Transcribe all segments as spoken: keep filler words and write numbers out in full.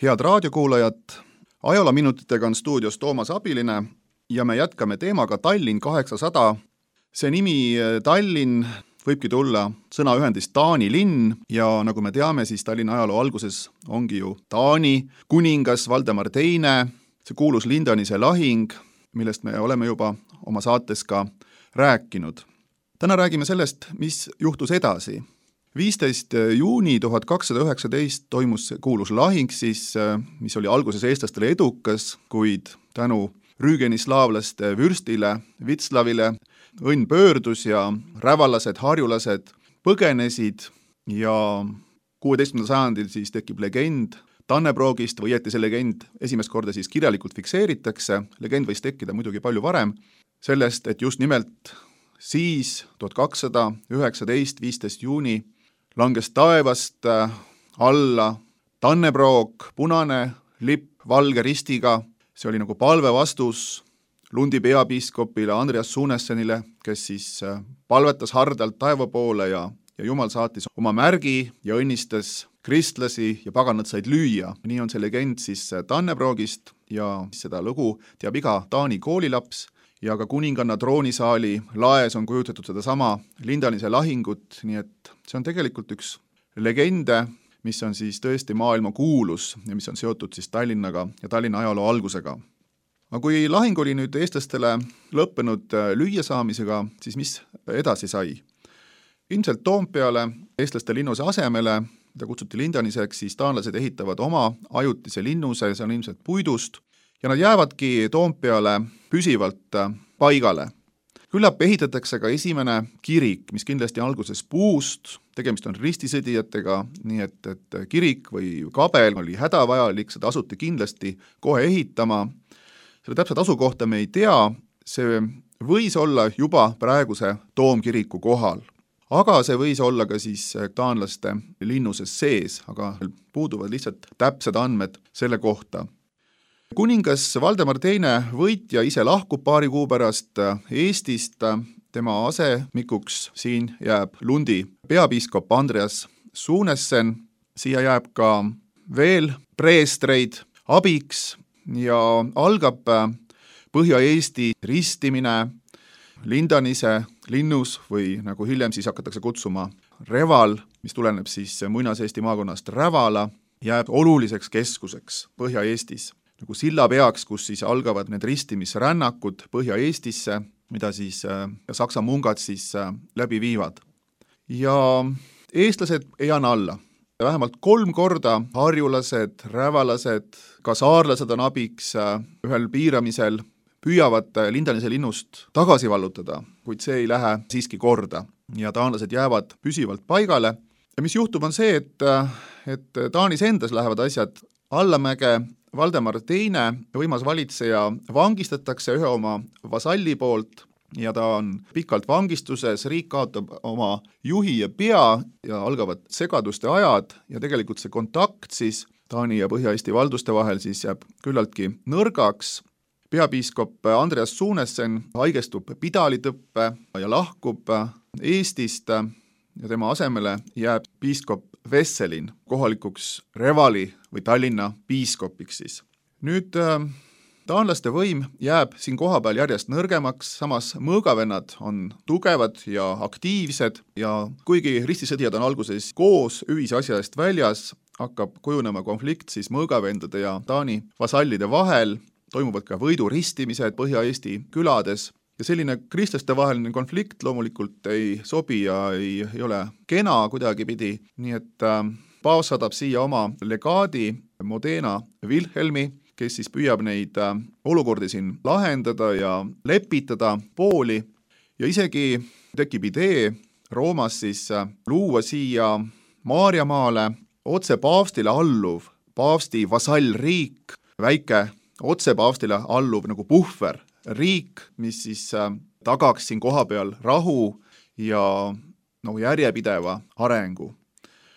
Head raadiokuulajad, ajaloominutitega on stuudios Toomas Abiline ja me jätkame teemaga Tallinn kaheksasada. See nimi Tallinn võibki tulla sõnaühendist Taani linn ja nagu me teame, siis Tallinna ajaloo alguses ongi ju Taani kuningas Valdemar teine, see kuulus Lindanise lahing, millest me oleme juba oma saates ka rääkinud. Täna räägime sellest, mis juhtus edasi. viisteist juuni tuhat kakssada üheksateist toimus kuulus lahing, siis, mis oli alguses eestlastele edukas, kuid tänu rüügenislaavlaste vürstile, Vitslavile, õnn pöördus ja rävalased, harjulased põgenesid ja kuueteistkümnendal sajandil siis tekib legend Tannebrogist või jäeti see legend esimest korda siis kirjalikult fikseeritakse. Legend võis tekkida muidugi palju varem sellest, et just nimelt siis tuhat kakssada üheksateist, viisteist juuni langes taevast alla Tannebrog, punane lipp valge ristiga. See oli nagu palve vastus Lundi peapiiskopile Andreas Sunessenile, kes siis palvetas hardalt taeva poole ja, ja Jumal saatis oma märgi ja õnnistas kristlasi ja paganad said lüüa. Nii on see legend siis Tannebrogist ja seda lugu teab iga Taani koolilaps ja ka kuninganna troonisaali laes on kujutatud seda sama Lindanise lahingut, nii et see on tegelikult üks legende, mis on siis tõesti maailma kuulus ja mis on seotud siis Tallinnaga ja Tallinna ajaloo algusega. Aga kui lahing oli nüüd eestlastele lõppenud lüüa saamisega, siis mis edasi sai? Ilmselt Toompeale eestlaste linnuse asemele, mida kutsuti Lindaniseks, siis taanlased ehitavad oma ajutise linnuse, see on ilmselt puidust, ja nad jäävadki Toompeale püsivalt paigale. Küllap ehitatakse ka esimene kirik, mis kindlasti alguses puust, tegemist on ristisõdijatega, nii et, et kirik või kabel oli hädavajalik, seda asuti kindlasti kohe ehitama. Selle täpselt asukohta me ei tea, see võis olla juba praeguse toomkiriku kohal. Aga see võis olla ka siis taanlaste linnuses sees, aga puuduvad lihtsalt täpsed andmed selle kohta. Kuningas Valdemar teine võitja ise lahkub paari kuu pärast Eestist, tema asemikuks siin jääb Lundi peapiiskop Andreas Sunessen, siia jääb ka veel preestreid abiks ja algab Põhja-Eesti ristimine Lindanise linnus või nagu hiljem siis hakatakse kutsuma Reval, mis tuleneb siis Muinas-Eesti maakonnast Rävala, jääb oluliseks keskuseks Põhja-Eestis. Nagu silla peaks, kus siis algavad need ristimisrännakud Põhja-Eestisse, mida siis Saksa mungad siis läbi viivad. Ja eestlased ei anna alla. Vähemalt kolm korda harjulased, rävalased, ka saarlased on abiks ühel piiramisel, püüavad Lindanise linnust tagasi vallutada, kuid see ei lähe siiski korda ja taanlased jäävad püsivalt paigale. Ja mis juhtub on see, et, et Taanis endas lähevad asjad allamäge. Valdemar teine võimas valitseja vangistatakse ühe oma vasalli poolt ja ta on pikalt vangistuses, riik kaotab oma juhi ja pea ja algavad segaduste ajad ja tegelikult see kontakt siis Taani ja Põhja-Eesti valduste vahel siis jääb küllaltki nõrgaks. Peapiiskop Andreas Sunessen haigestub pidalitõppe ja lahkub Eestist ja tema asemele jääb piiskop Vesselin kohalikuks Revali või Tallinna piiskopiks siis. Nüüd taanlaste võim jääb siin kohapeal järjest nõrgemaks, samas mõõgavennad on tugevad ja aktiivsed ja kuigi ristisõdijad on alguses koos ühise asja eest väljas, hakkab kujunema konflikt siis mõõgavendade ja Taani vasallide vahel, toimuvad ka võiduristimised Põhja-Eesti külades. Ja selline kristlaste vaheline konflikt loomulikult ei sobi ja ei, ei ole kena kuidagi pidi, nii et äh, paavs saadab siia oma legaadi Modena Wilhelmi, kes siis püüab neid äh, olukordi siin lahendada ja lepitada pooli ja isegi tekib idee Roomas siis äh, luua siia Maarjamaale otse paavstile alluv paavsti vasallriik, väike otse paavstile alluv nagu puhver riik, mis siis tagaks siin kohapeal rahu ja no, järjepideva arengu.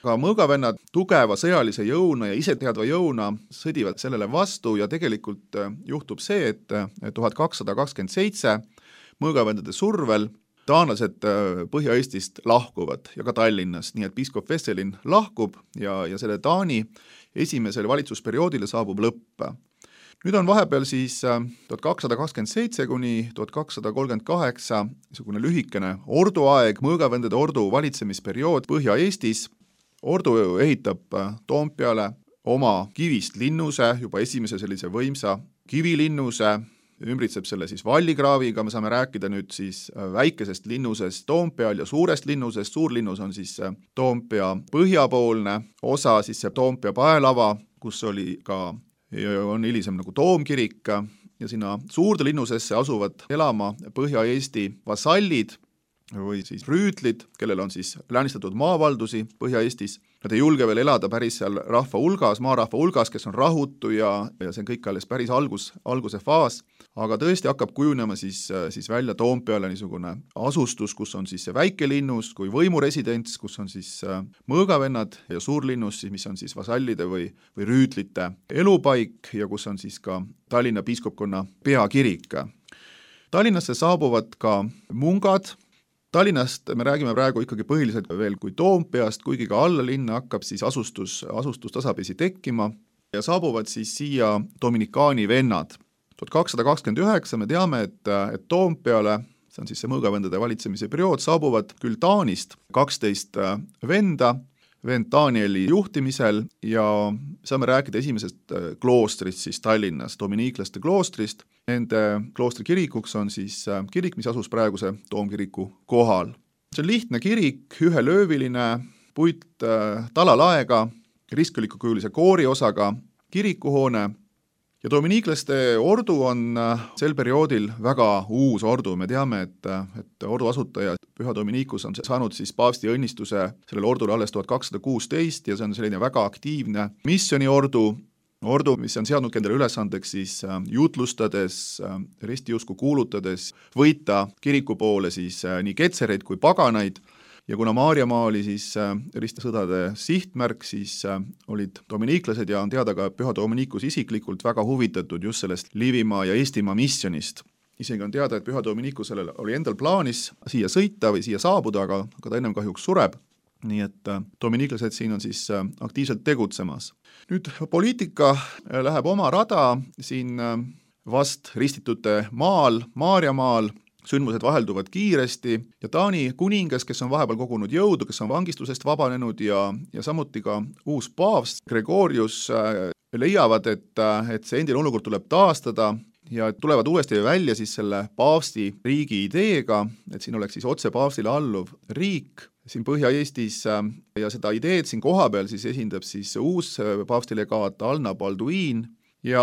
Aga mõõgavennad tugeva sõjalise jõuna ja iseteadva jõuna sõdivad sellele vastu ja tegelikult juhtub see, et tuhat kakssada kakskümmend seitse mõõgavendade survel taanlased Põhja-Eestist lahkuvad ja ka Tallinnast, nii et piiskop Vesselin lahkub ja, ja selle Taani esimesele valitsusperioodile saabub lõpp. Nüüd on vahepeal siis tuhat kakssada kakskümmend seitse kuni tuhat kakssada kolmkümmend kaheksa niisugune lühikene orduaeg, mõõgavendade ordu valitsemisperiood Põhja-Eestis. Ordu ehitab Toompeale oma kivist linnuse, juba esimese sellise võimsa kivilinnuse, ümbritseb selle siis vallikraaviga, me saame rääkida nüüd siis väikesest linnusest Toompeal ja suurest linnusest. Suurlinnus on siis Toompea põhjapoolne osa, siis see Toompea paelava, kus oli ka on hilisem nagu toomkirik ja sinna suurde linnusesse asuvad elama Põhja-Eesti vasallid või siis rüütlid, kellel on siis läänistatud maavaldusi Põhja-Eestis. Nad ei julge veel elada päris seal rahva hulgas, maarahva hulgas, kes on rahutu ja, ja see on kõik alles päris algus, alguse faas, aga tõesti hakkab kujunema siis, siis välja Toompeale niisugune asustus, kus on siis see väike linnus kui võimuresidents, kus on siis mõõgavennad ja suurlinnus, mis on siis vasallide või, või rüütlite elupaik ja kus on siis ka Tallinna piiskopkonna peakirik. Tallinnasse saabuvad ka mungad. Tallinnast me räägime praegu ikkagi põhiliselt veel kui Toompeast, kuigi ka alla linna hakkab siis asustus, asustus tasapisi tekkima ja saabuvad siis siia dominikaani vennad. tuhat kakssada kakskümmend üheksa me teame, et, et Toompeale, see on siis see mõõgavendade valitsemise periood, saabuvad küll Taanist kaksteist venda, vend Danieli juhtimisel ja saame rääkida esimesest kloostrist siis Tallinnas, dominiiklaste kloostrist. Nende kloostri kirikuks on siis kirik, mis asus praeguse toomkiriku kohal. See on lihtne kirik, ühelööviline, puit talalaega, ristkõlikukujulise kooriosaga kirikuhoone ja dominiiklaste ordu on sel perioodil väga uus ordu. Me teame, et, et ordu asutaja Püha Dominikus on saanud siis paavsti õnnistuse sellele ordule alles tuhat kakssada kuusteist ja see on selline väga aktiivne missioniordu, ordu, mis on seadnud endale ülesandeks siis jutlustades, ristiusku kuulutades, võita kiriku poole siis nii ketsereid kui paganaid ja kuna Maarjamaa oli siis ristisõdade sihtmärk, siis olid dominiiklased ja on teada ka Püha Dominikus isiklikult väga huvitatud just sellest Liivimaa ja Eestimaa missionist. Isegi on teada, et Püha Dominikusel oli endal plaanis siia sõita või siia saabuda, aga, aga ta ennem kahjuks sureb. Nii et dominiiklased siin on siis aktiivselt tegutsemas. Nüüd poliitika läheb oma rada siin vast ristitute maal, Maarjamaal, sündmused vahelduvad kiiresti ja Taani kuningas, kes on vahepeal kogunud jõudu, kes on vangistusest vabanenud ja, ja samuti ka uus paavst Gregorius leiavad, et, et see endine olukord tuleb taastada ja tulevad uuesti välja siis selle paavsti riigi ideega, et siin oleks siis otse paavstile alluv riik siin Põhja-Eestis ja seda ideed siin kohapeal siis esindab siis uus paavstilegaat Alna Balduin ja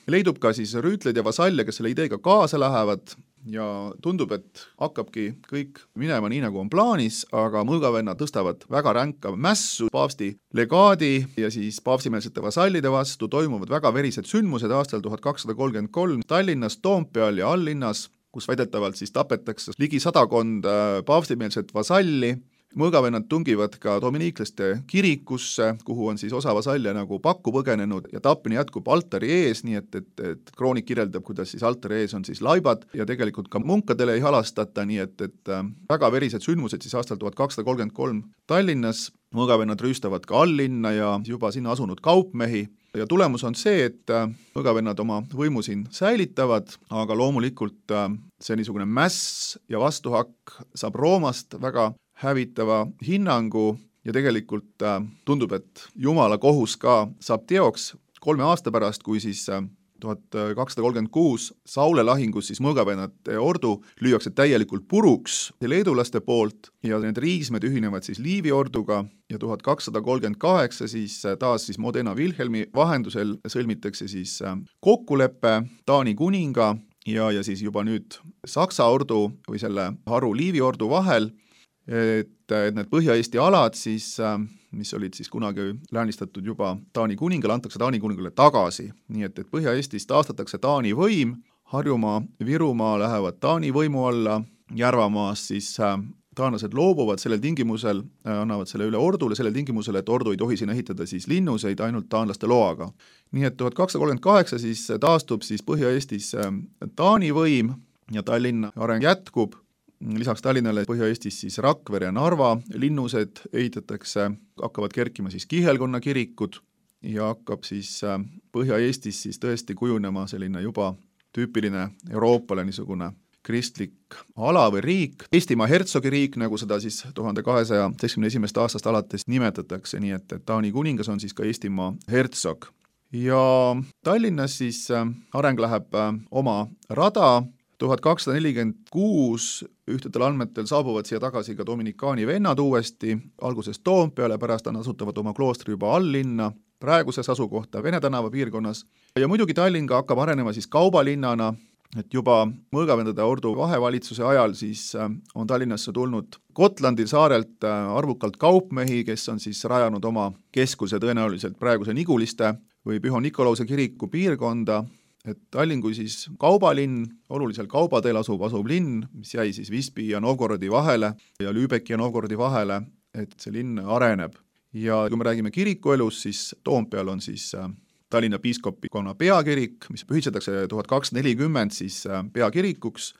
leidub ka siis rüütled ja vasalle, kes selle ideega kaasa lähevad ja tundub, et hakkabki kõik minema nii, nagu on plaanis, aga mõõgavennad tõstavad väga ränka mässu paavsti legaadi ja siis paavstimeelsete vasallide vastu, toimuvad väga verised sündmused aastal tuhat kakssada kolmkümmend kolm Tallinnas, Toompeal ja alllinnas, kus väidetavalt siis tapetakse ligi sadakond paavstimeelset vasalli. Mõõgavennad tungivad ka dominiiklaste kirikusse, kuhu on siis osa vasalle nagu pakku põgenenud ja tapmine jätkub altari ees, nii et, et, et kroonik kirjeldab, kuidas siis altari ees on siis laibad ja tegelikult ka munkadele ei halastata, nii et, et väga verised sündmused siis aastal tuhat kakssada kolmkümmend kolm Tallinnas. Mõõgavennad rüüstavad ka alllinna ja juba sinna asunud kaupmehi ja tulemus on see, et mõõgavennad oma võimu siin säilitavad, aga loomulikult see niisugune mäss ja vastuhakk saab Roomast väga hävitava hinnangu ja tegelikult äh, tundub, et Jumala kohus ka saab teoks kolme aasta pärast, kui siis äh, tuhat kakssada kolmkümmend kuus Saule lahingus siis mõõgavennate ordu lüüakse täielikult puruks leedulaste poolt ja need riismed ühinevad siis Liivi orduga ja tuhat kakssada kolmkümmend kaheksa siis taas siis Modena Wilhelmi vahendusel sõlmitakse siis äh, kokkulepe Taani kuninga ja, ja siis juba nüüd Saksa ordu või selle haru Liivi ordu vahel, et, et need Põhja-Eesti alad siis, mis olid siis kunagi läänistatud juba Taani kuningale, antakse Taani kuningale tagasi. Nii et, et Põhja-Eestis taastatakse Taani võim, Harjumaa, Virumaa lähevad Taani võimu alla, Järvamaas siis taanlased loobuvad sellel tingimusel, annavad selle üle ordule, sellel tingimusel, et ordu ei tohi siin ehitada siis linnuseid ainult taanlaste loaga. Nii et tuhat kakssada kolmkümmend kaheksa siis taastub siis Põhja-Eestis Taani võim ja Tallinna areng jätkub. lisaks Tallinnale Põhja-Eestis siis Rakvere ja Narva linnused ehitatakse, hakkavad kerkima siis kihelkonna kirikud ja hakkab siis Põhja-Eestis siis tõesti kujunema selline juba tüüpiline Euroopale niisugune kristlik ala või riik, Eestimaa hertsogi riik, nagu seda siis tuhande kahesaja seitsmekümne esimesest aastast alates nimetatakse, nii et, et Taani kuningas on siis ka Eestimaa hertsog. Ja Tallinnas siis areng läheb oma rada, tuhat kakssada nelikümmend kuus ühtedel andmetel saabuvad siia tagasi ka dominikaani vennad uuesti, alguses Toompeale, pärast nad asutavad oma kloostri juba alllinna, praeguses asukohta Vene tänava piirkonnas. Ja muidugi Tallinn ka hakkab arenema siis kaubalinnana, et juba Mõõgavendade ordu vahevalitsuse ajal siis on Tallinnasse tulnud Gotlandi saarelt arvukalt kaupmehi, kes on siis rajanud oma keskuse tõenäoliselt praeguse Niguliste või Püha Nikolause kiriku piirkonda, et Tallinn kui siis kaubalinn, olulisel kaubateel asuv, asuv linn, mis jäi siis Visby ja Novgorodi vahele ja Lübeki ja Novgorodi vahele, et see linn areneb. Ja kui me räägime kirikuelus, siis Toompeal on siis Tallinna piiskopikonna peakirik, mis pühitsetakse tuhat kakssada nelikümmend siis peakirikuks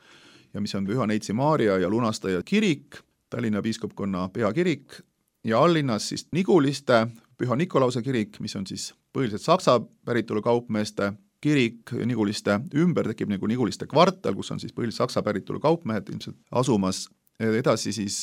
ja mis on Püha Neitsi Maarja ja Lunastaja kirik, Tallinna piiskopkonna peakirik ja alllinnas siis Niguliste Püha Nikolause kirik, mis on siis põhiliselt saksa päritolu kaupmeeste kirik, Niguliste ümber tekib nagu Niguliste kvartal, kus on siis põhiliselt saksa päritolu kaupmehed ilmselt asumas. Edasi siis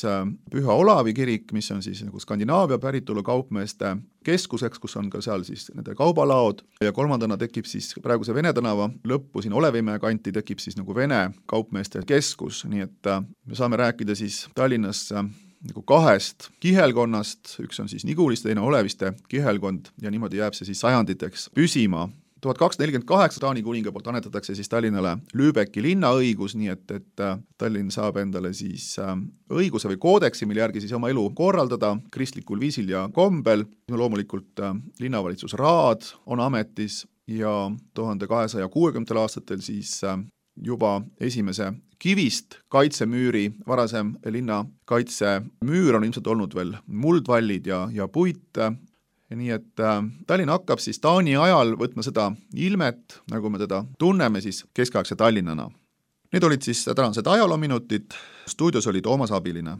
Püha Olavi kirik, mis on siis nagu Skandinaavia päritolu kaupmeeste keskuseks, kus on ka seal siis nende kaubalaod ja kolmandana tekib siis praeguse Vene tänava lõppu siin Olevimäe kanti tekib siis nagu Vene kaupmeeste keskus, nii et me saame rääkida siis Tallinnas nagu kahest kihelkonnast, üks on siis Niguliste, teine Oleviste kihelkond ja niimoodi jääb see siis sajanditeks püsima. tuhat kakssada nelikümmend kaheksa Taani kuninga poolt annetatakse siis Tallinnale Lübeki linnaõigus, nii et, et Tallinn saab endale siis õiguse või koodeksi, mille järgi siis oma elu korraldada kristlikul viisil ja kombel. Loomulikult linnavalitsusraad on ametis ja tuhande kahesaja kuuekümnendatel aastatel siis juba esimese kivist kaitsemüüri, varasem linna kaitsemüür on ilmselt olnud veel muldvallid ja, ja puit. Nii et äh, Tallinn hakkab siis Taani ajal võtma seda ilmet, nagu me teda tunneme siis keskaegse Tallinnana. Need olid siis tänased ajaloominutid, stuudios oli Toomas Abiline.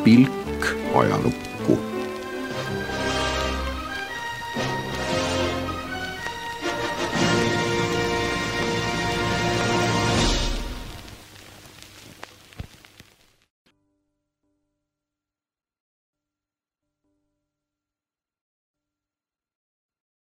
Pilk ajalukku.